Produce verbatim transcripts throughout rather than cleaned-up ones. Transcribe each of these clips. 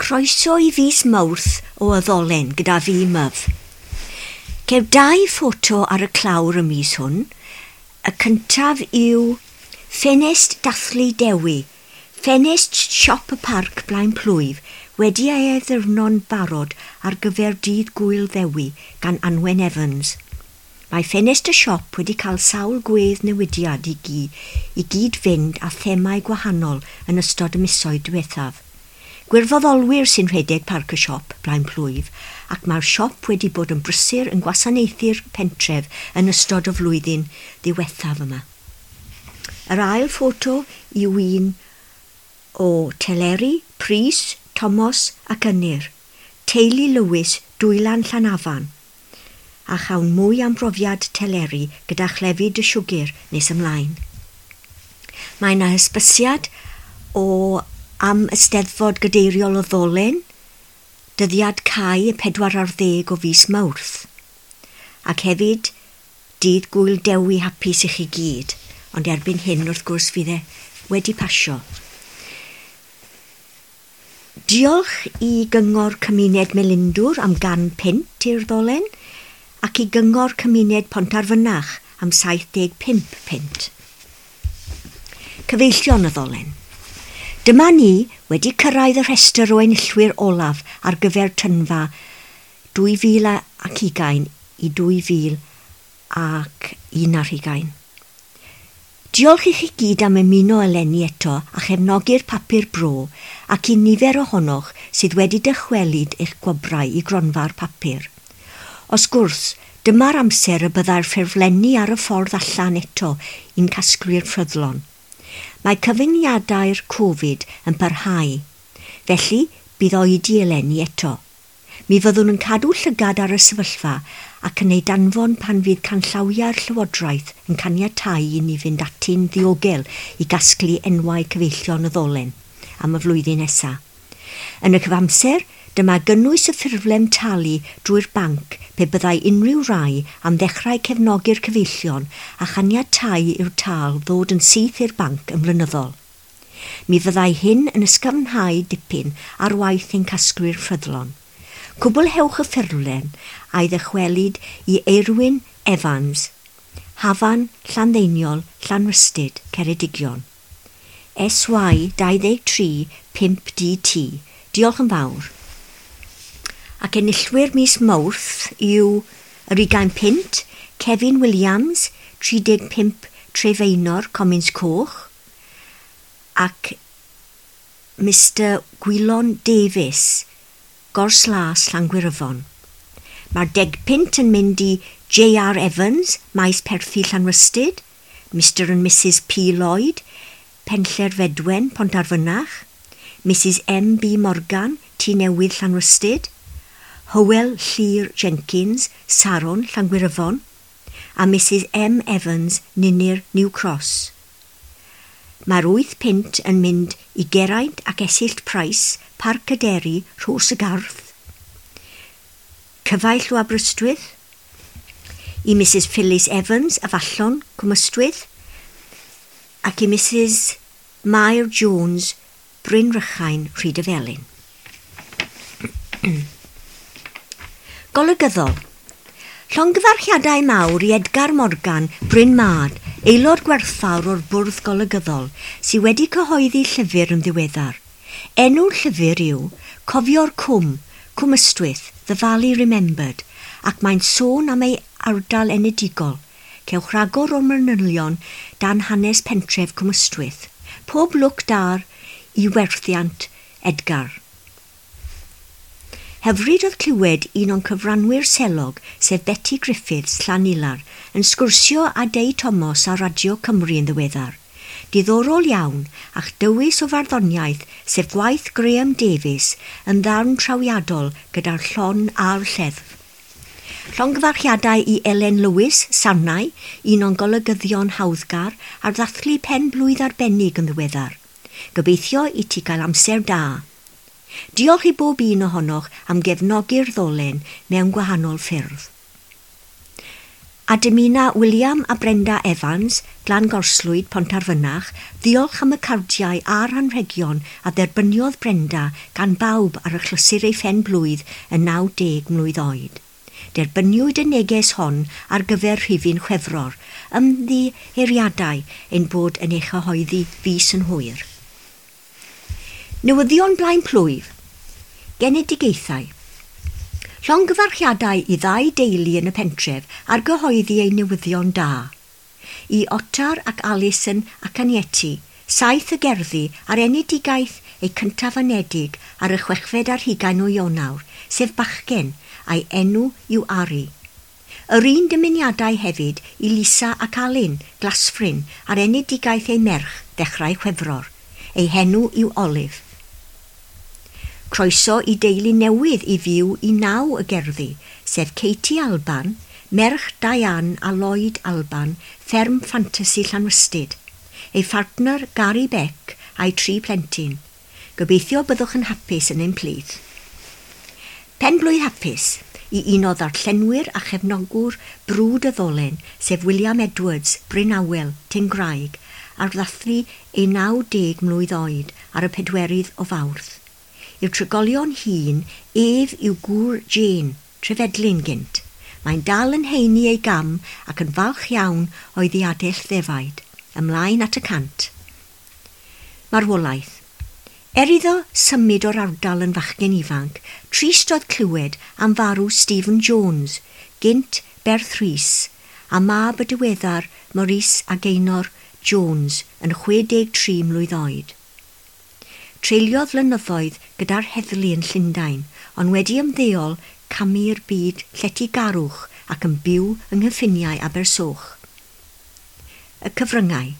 Croeso i fis Mawrth o Y Ddolen gyda fi, Myf. Ceir dau ffoto ar y clawr y mis hwn. Y cyntaf yw Ffenest Dathlu Dewi, ffenest siop y parc Blaen Plwyf, wedi ei addurno'n barod ar gyfer dydd Gŵyl Ddewi gan Anwen Evans. Mae ffenest y siop wedi cael sawl gwedd newidiad i, gy, i gyd fynd â themau gwahanol yn ystod y misoedd diwethaf. Gwirfoddolwyr sy'n rhedeg parc y siop Blaen Plwyf, ac mae'r siop wedi bod yn brysur yn gwasanaethu'r pentref yn ystod y flwyddyn ddiwethaf yma. Yr ail ffoto yw un o Teleri, Prys, Tomos ac Ynyr, teulu Lewis, Dwylan Llanafan, a chawn mwy am brofiad Teleri gyda chlefyd y siwgr nes ymlaen. Mae yna hysbysiad o am Eisteddfod Gadeiriol y Ddolen, dyddiad cau y pedwar ar ddeg o fis Mawrth. Ac hefyd, dydd Gŵyl Dewi hapus i chi gyd, ond erbyn hyn wrth gwrs fydd e wedi pasio. Diolch i Gyngor Cymuned Melindwr am gan punt i'r Ddolen ac i Gyngor Cymuned Pontarfynach am saith deg pump punt. Cyfeillion y Ddolen. Dyma ni wedi cyrraedd y rhestr o enillwyr olaf ar gyfer tynfa dwy fil ac ugain i dwy fil ac un ar hugain. Diolch i chi gyd am ymuno eleni eto a chefnogi'r papur bro ac i nifer ohonoch sydd wedi dychwelyd eich gwobrau i gronfa'r papur. Os gwrs, dyma'r amser y byddai'r ffurflenni ar y ffordd allan eto i'n casglu'r ffyddlon. Mae cyfyngiadau'r Covid yn parhau, felly bydd oedi eleni eto. Mi fyddwn yn cadw llygad ar y sefyllfa ac yn ei danfon pan fydd canllawiau'r Llywodraeth yn caniatáu i ni fynd ati'n ddiogel i gasglu enwau cyfeillion y Ddolen am y flwyddyn nesaf. Yn y cyfamser, dyma gynnwys y ffurflen talu drwy'r banc pe byddai unrhyw rai am ddechrau cefnogi'r cyfeillion a chaniatáu i'r tâl ddod yn syth i'r banc yn flynyddol. Mi fyddai hyn yn ysgafnhau dipyn ar waith ein casglu'r ffyddlon. Cwblhewch y ffurflen a'i ddychwelyd i Eirwyn Evans, Hafan, Llanddeiniol, Llanrhystud, Ceredigion. S Y dau ddeg tri pump D T. Diolch yn fawr. Ac enillwyr mis Mawrth yw yr ugain punt, Kevin Williams, tri deg pump Trefeinor, Comins Coch, ac Mister Gwylon Davies, Gorslas, Llangwyryfon. Mae'r deg punt yn mynd i J R Evans, Maes Perthi Llanrhystud, Mister and Missus P Lloyd, Penlle'r Fedwen, Pontarfynach, Missus M B Morgan, Tŷ Newydd Llanrhystud, Hywel Llyr Jenkins, Saron, Llangwyryfon, a Missus M Evans, Ninir, New Cross. Mae'r wyth punt yn mynd i Geraint ac Esyllt Price, Parc y Deri, Rhos y Garth, Cyfaill o Aberystwyth, i Missus Phyllis Evans, Afallon, Cwmystwyth, ac i Missus Mair Jones, Bryn Rychain, Rhydyfelin. Golygyddol. Llongyfarchiadau mawr i Edgar Morgan, Bryn Mad, aelod gwerthfawr o'r Bwrdd Golygyddol, sydd wedi cyhoeddi llyfr yn ddiweddar. Enw'r llyfr yw Cofio'r Cwm, Cwm Ystwyth, The Valley Remembered, ac mae'n sôn am ei ardal enedigol. Cewch ragor o manylion dan hanes pentref Cwm Ystwyth. Pob lwc da i werthiant Edgar. Hyfryd oedd clywed un o'n cyfranwyr selog, sef Betty Griffiths Llanilar, yn sgwrsio â Dei Thomas ar Radio Cymru yn ddiweddar. Diddorol iawn, a'ch dewis o farddoniaeth, sef gwaith Graham Davies, yn ddarn trawiadol gyda'r llon a'r lleddf. Llongyfarchiadau i Elen Lewis, Sarnau, un o'n golygyddion hawddgar, ar ddathlu pen blwydd arbennig yn ddiweddar. Gobeithio i ti gael amser da. Diolch i bob un ohonoch am gefnogi'r Ddolen mewn gwahanol ffyrdd. A dymuna William a Brenda Evans, Glan Gorslwyd, Pontarfynach, ddiolch am y cardiau a'r anrhegion a dderbyniodd Brenda gan bawb ar achlysur ei phen blwydd yn naw deg mlwydd oed. Derbyniwyd y neges hon ar gyfer rhifyn Chwefror, ymddiheuriadau ein bod yn ei chyhoeddi fis yn hwyr. Newyddion blaen plwyf. Genedigaethau. Llongyfarchiadau i ddau deulu yn y pentref ar gyhoeddi eu newyddion da. I Otar ac Alison ac Anieti, saith y gerddi ar enedigaeth eu cyntaf anedig ar y chwechfed ar hugain o Ionawr, sef bachgen, a'i enw yw Ari. Yr un dymuniadau hefyd i Lisa ac Alun, Glasfryn, ar enedigaeth ei merch, ddechrau Chwefror. Ei henw yw Olive. Croeso i deulu newydd i fyw i naw y gerddi, sef Katie Alban, merch Diane a Lloyd Alban, fferm ffantasi Llanrhystud, ei phartner Gary Beck a'i tri plentyn. Gobeithio byddwch yn hapus yn ein plith. Pen blwydd hapus i un o ddarllenwyr a chefnogwr brwd y ddolen, sef William Edwards, Bryn Awel, Tingraig, ar ddathlu ei naw deg mlwydd oed ar y pedwerydd o Fawrth. I'r trigolion hŷn, ef yw gŵr Jane, Trefedlyn gynt. Mae'n dal yn heini ei gam ac yn falch iawn o'i ddiadell ddefaid, ymlaen at y cant. Marwolaeth. Er iddo symud o'r ardal yn fachgen ifanc, trist oedd clywed am farw Stephen Jones, gynt Berth Rhys, a mab y diweddar Maurice a Gaynor Jones yn chwe deg tri mlwydd oed. Treuliodd flynyddoedd gyda'r heddlu yn Llundain, ond wedi ymddeol camu'r byd lletygarwch ac yn byw yng nghyffiniau Abersoch. Y cyfryngau.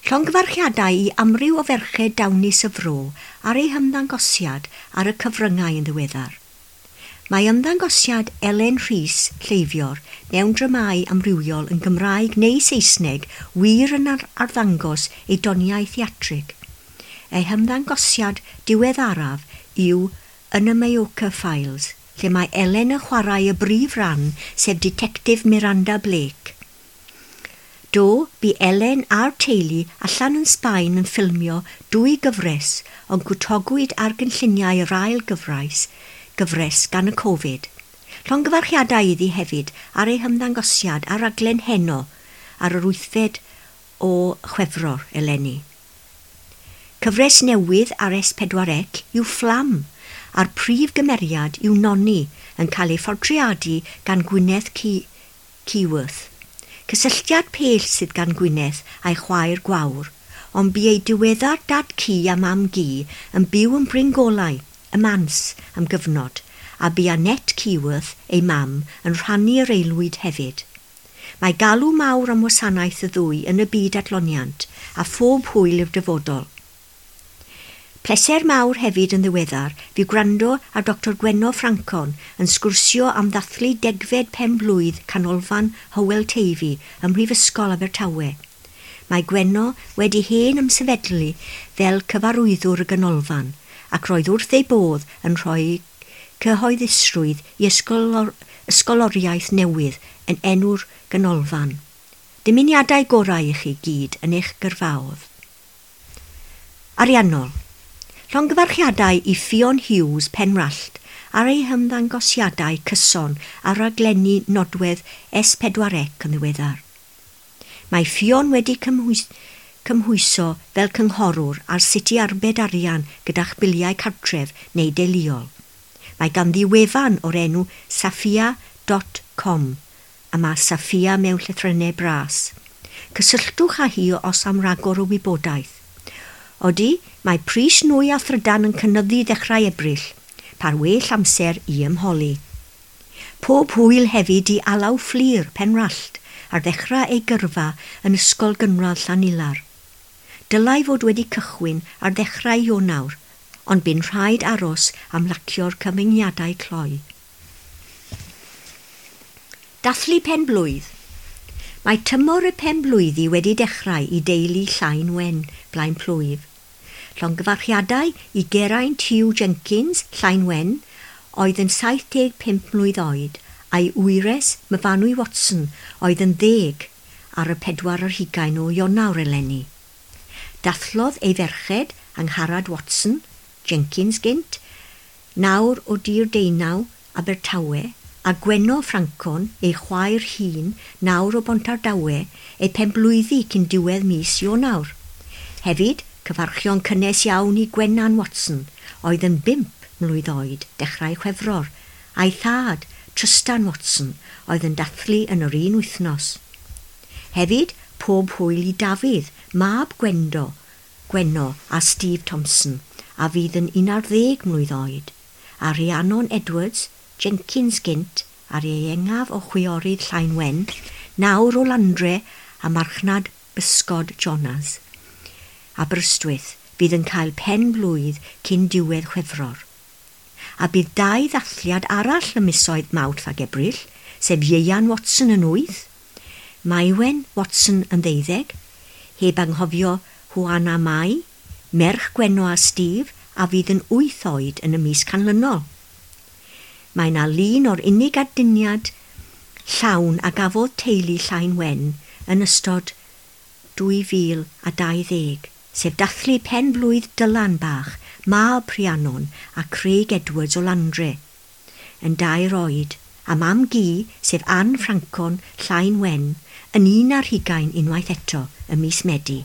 Llongyfarchiadau i amryw o ferched dawnus y fro ar ei hymddangosiad ar y cyfryngau yn ddiweddar. Mae ymddangosiad Elen Rhys, Lleifior, mewn dramâu amrywiol yn Gymraeg neu Saesneg wir yn arddangos ei doniau theatrig. Ei hymddangosiad diweddaraf yw yn y Mallorca Files, lle mae Elen yn chwarae y brif ran, sef Detective Miranda Blake. Do, bu Elen a'r teulu allan yn Sbaen yn ffilmio dwy gyfres, ond gwtogwyd ar gynlluniau yr ail gyfres, gyfres gan y Covid. Llongyfarchiadau iddi hefyd ar ei hymddangosiad ar raglen Heno ar yr wythfed o Chwefror eleni. Cyfres newydd ar S pedwar C yw Fflam, a'r prif gymeriad yw Noni yn cael ei phortreadu gan Gwyneth Keyworth. Cysylltiad pell sydd gan Gwyneth a'i chwaer Gwawr, ond bu ei diweddar dad ci a mam gi yn byw yn Bryn Golau, y Mans, am gyfnod, a bu Annette Keyworth, ei mam, yn rhannu'r aelwyd hefyd. Mae galw mawr am wasanaeth y ddwy yn y byd adloniant, a phob hwyl i'r dyfodol. Pleser mawr hefyd yn ddiweddar fu gwrando ar Doctor Gwenno Ffrancon yn sgwrsio am ddathlu degfed pen blwydd Canolfan Hywel Teifi ym Mhrifysgol Abertawe. Mae Gwenno wedi hen ymsefydlu fel cyfarwyddwr y ganolfan ac roedd wrth ei bodd yn rhoi cyhoeddusrwydd i ysgolor, ysgoloriaeth newydd yn enw'r ganolfan. Dymuniadau gorau i chi gyd yn eich gyrfaodd. Ariannol. Llongyfarchiadau i Ffion Hughes Penrallt ar ei hymddangosiadau cyson ar raglenni nodwedd S pedwar C yn ddiweddar. Mae Ffion wedi cymhwys, cymhwyso fel cynghorwr ar sut i arbed arian gyda'ch biliau cartref neu deuluol. Mae ganddi wefan o'r enw saffia dot com a mae Saffia mewn llythrennau bras. Cysylltwch â hi os am ragor o wybodaeth. Odi, mae pris nwy a thrydan yn cynyddu ddechrau Ebrill, par well amser i ymholi. Pob hwyl hefyd i Alaw Fflur Penrallt ar ddechrau ei gyrfa yn Ysgol Gynradd Llanilar. Dylai fod wedi cychwyn ar ddechrau Ionawr, ond bu'n rhaid aros am lacio'r cyfyngiadau cloi. Dathlu pen blwydd. Mae tymor y pen blwyddi wedi dechrau i deulu Llain Wen, Blaen Plwyf. Llongyfarchiadau i Geraint Hugh Jenkins, Llain Wen, oedd yn saith deg pump mlwydd oed, a'i wyres Myfanwy Watson oedd yn ddeg ar y pedwar ar hugain o Ionawr eleni. Dathlodd ei ferched Angharad Watson, Jenkins gynt, nawr o Dir Deunaw, Abertawe, a Gwenno Ffrancon, ei chwaer hun, nawr o Bontardawe, ei penblwyddi cyn diwedd mis Ionawr. Hefyd, cyfarchion cynnes iawn i Gwennan Watson, oedd yn bump mlwydd oed dechrau Chwefror, a'i thad, Trystan Watson, oedd yn dathlu yn yr un wythnos. Hefyd, pob hwyl i Dafydd, mab Gwendo, Gwenno a Steve Thompson, a fydd yn un ar ddeg mlwydd oed, a Rhiannon Edwards, Jenkins gynt, a'r ieuengaf o chwiorydd Llain Wen, nawr o Landre a marchnad Bysgod Jonas. Aberystwyth fydd yn cael pen blwydd cyn diwedd Chwefror. A bydd dau ddathliad arall ym misoedd Mawrth ac Ebrill, sef Ieuan Watson yn wyth, Maiwen Watson yn ddeuddeg, heb anghofio Huana Mai, merch Gwenno a Steve, a fydd yn wyth oed yn y mis canlynol. Mae yna lun o'r unig aduniad llawn a gafodd teulu Llain Wen yn ystod dwy fil a dau ddeg, sef dathlu pen blwydd Dylan bach, mab Rhiannon a Craig Edwards o Landre, yn dair oed, a mam Gu, sef Anne Ffrancon Llain Wen, yn un ar hugain unwaith eto ym mis Medi.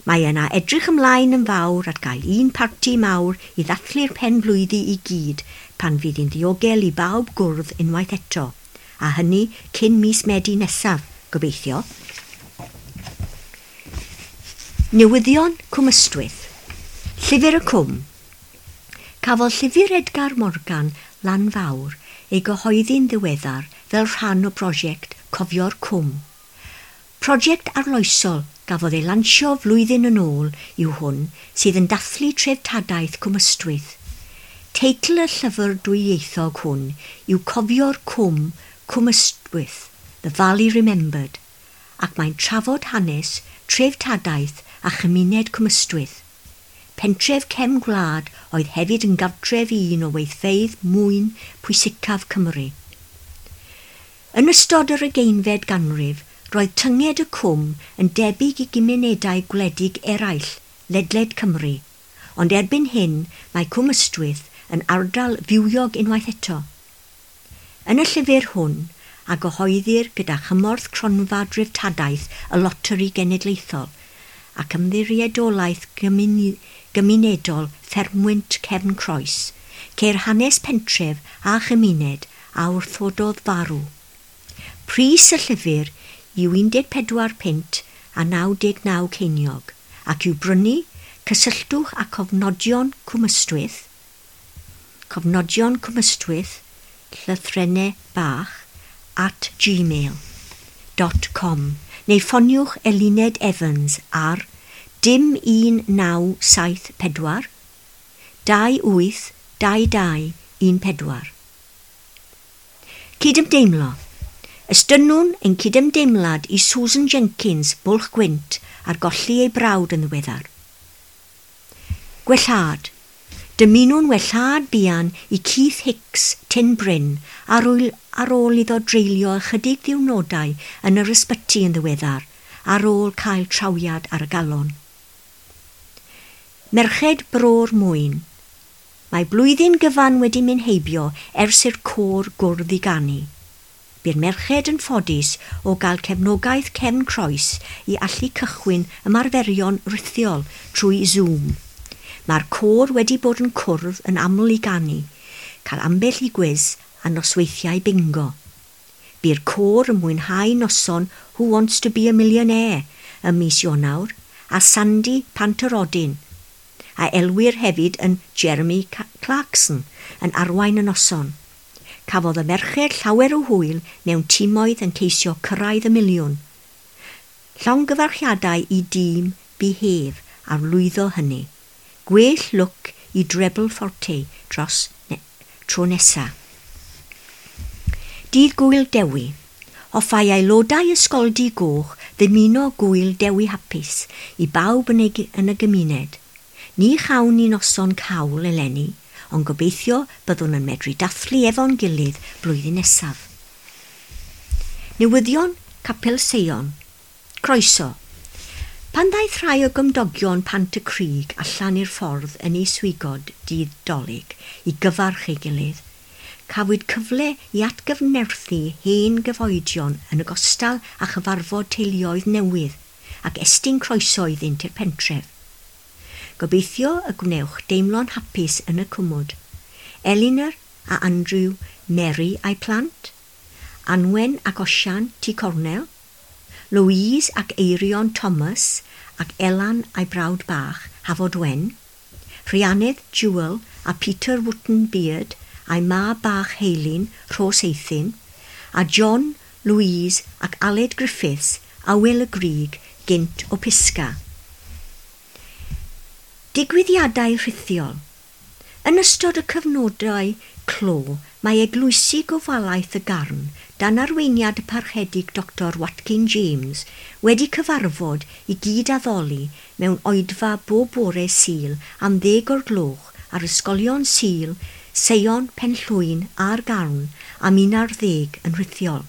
Mae yna edrych ymlaen yn fawr at gael un parti mawr i ddathlu'r pen blwyddi i gyd pan fydd hi'n ddiogel i bawb gwrdd unwaith eto, a hynny cyn mis Medi nesaf, gobeithio. Newyddion Cwm Ystwyth. Llyfr y Cwm. Cafodd llyfr Edgar Morgan, Lan Fawr, ei gyhoeddi'n ddiweddar fel rhan o brosiect Cofio'r Cwm. Prosiect arloesol gafodd ei lansio flwyddyn yn ôl yw hwn sydd yn dathlu treftadaeth Cwm Ystwyth. Teitl y llyfr dwyieithog hwn yw Cofio'r Cwm, Cwm Ystwyth, The Valley Remembered, ac mae'n trafod hanes, treftadaeth a chymuned Cwm Ystwyth. Pentref cefn gwlad oedd hefyd yn gartref i un o weithfeydd mwyn pwysicaf Cymru. Yn ystod yr ugeinfed ganrif, roedd tynged y cwm yn debyg i gymunedau gwledig eraill ledled Cymru, ond erbyn hyn mae Cwm Ystwyth yn ardal fywiog unwaith eto. Yn y llyfr hwn, a gyhoeddir gyda chymorth cronfa dreftadaeth y Loteri Genedlaethol ac ymddiriedolaeth gymunedol Ffermwynt Cefn Croes, ceir hanes pentref a chymuned a wrthododd farw. Pris y llyfr yw un deg pedwar punt a naw deg naw ceiniog, ac i'w brynu, cysylltwch â Cofnodion Cwm Ystwyth, Cofnodion Cwm Ystwyth, llythrennau bach, at gmail dot com, neu ffoniwch Eluned Evans ar dim un naw saith pedwar, dau wyth dau dau un pedwar. Cydymdeimlo. Estynnwn ein cydymdeimlad i Susan Jenkins, Bwlch Gwynt, ar golli ei brawd yn ddiweddar. Gwellhad. Dymunwn wellhad buan i Keith Hicks, Tyn Bryn, ar ôl, ar ôl iddo dreulio ychydig ddiwrnodau yn yr ysbyty yn ddiweddar, ar ôl cael trawiad ar y galon. Merched Bro'r Mwyn. Mae blwyddyn gyfan wedi mynd heibio ers i'r côr gwrdd i ganu. Bu'r merched yn ffodus o gael cefnogaeth Cefn Croes i allu cychwyn ymarferion rithiol trwy Zoom. Mae'r côr wedi bod yn cwrdd yn aml i ganu, cael ambell i gwis a nosweithiau bingo. Bu'r côr yn mwynhau noson Who Wants to be a Millionaire ym mis Ionawr a Sandy Pantyrodin, a elwir hefyd yn Jeremy Clarkson, yn arwain y noson. Cafodd y merched llawer o hwyl mewn timoedd yn ceisio cyrraedd y miliwn. Llongyfarchiadau i dîm Behave ar lwyddo hynny. Gwell lwc i Treble Forte dros ne tro nesa. Dydd Gŵyl Dewi. Hoffai aelodau Ysgoldy Goch ddymuno Gŵyl Dewi hapus i bawb yn, ei, yn y gymuned. Ni chawn ni noson cawl eleni, ond gobeithio byddwn yn medru dathlu efo'n gilydd blwyddyn nesaf. Newyddion Capel Seion. Croeso. Pan ddaeth rhai o gymdogion Pant y Crug allan i'r ffordd yn ei swigod dydd Dolig i gyfarch ei gilydd, cafwyd cyfle i atgyfnerthu hen gyfoedion yn ogystal â chyfarfod teuluoedd newydd ac estyn croeso iddynt i'r pentref. Gobeithio y gwnewch deimlo'n hapus yn y cwmwd. Elinor a Andrew, Mary a'i plant, Anwen ac Osian Tŷ Cornel, Louise ac Eirion Thomas ac Elan a'i brawd bach, Hafod Wen, Rhianedd Jewel a Peter Wotton Beard a'i mab bach Heilyn, Rhos Eithin, a John, Louise ac Aled Griffiths, Awel y Grug, gynt o Pisga. Digwyddiadau rhithiol. Yn ystod y cyfnodau clo, mae eglwysi gofalaeth y Garn, dan arweiniad y parchedig Doctor Watkin James, wedi cyfarfod i gyd-addoli mewn oedfa bob bore Sul am ddeg o'r gloch ar ysgolion Sul, Seion, Penllwyn a'r Garn am un ar ddeg yn rhithiol.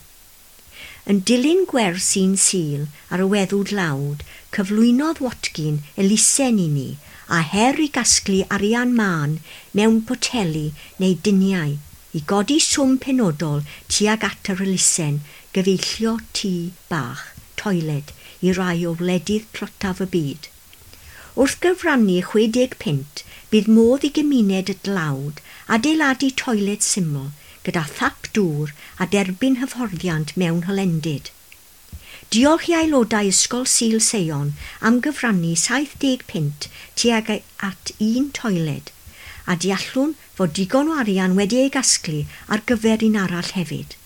Yn dilyn gwers un Sul ar y weddw dlawd, cyflwynodd Watkin elusen i ni a her i gasglu arian mân mewn poteli neu duniau i godi swm penodol tuag at yr elusen gyfeillio tŷ bach, toiled, i rai o wledydd tlotaf y byd. Wrth gyfrannu chwe deg punt, bydd modd i gymuned y dlawd adeiladu toiled syml gyda thap dŵr a derbyn hyfforddiant mewn hylendid. Diolch i aelodau Ysgol Sul Seion am gyfrannu saith deg punt tuag at un toiled, a deallwn fod digon o arian wedi ei gasglu ar gyfer un arall hefyd.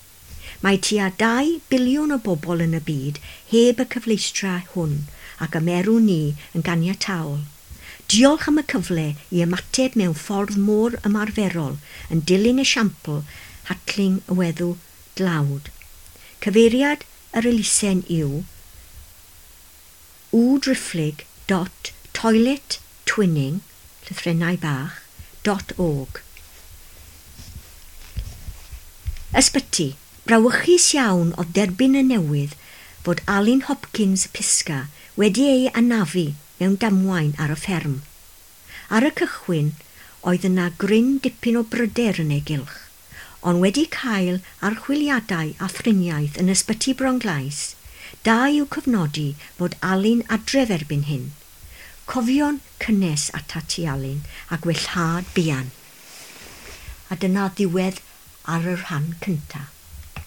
Mae tua dau biliwn o bobl yn y byd heb y cyfleustra hwn ac ymerwn ni yn ganiataol. Diolch am y cyfle i ymateb mewn ffordd mor ymarferol yn dilyn esiampl Hatling y weddw dlawd. Cyfeiriad yr elusen yw www dot toilet twinning, llythrennau bach, dot org. Ysbyty. Brawychus iawn oedd derbyn y newydd fod Alun Hopkins Pisga wedi ei anafu mewn damwain ar y fferm. Ar y cychwyn oedd yna gryn dipyn o bryder yn ei gylch, ond wedi cael archwiliadau a thriniaeth yn ysbyty Bronglais, da i'w cyfnodi fod Alun adref erbyn hyn. Cofion cynnes atat ti Alun a gwellhad buan. A dyna ddiwedd ar y rhan cyntaf.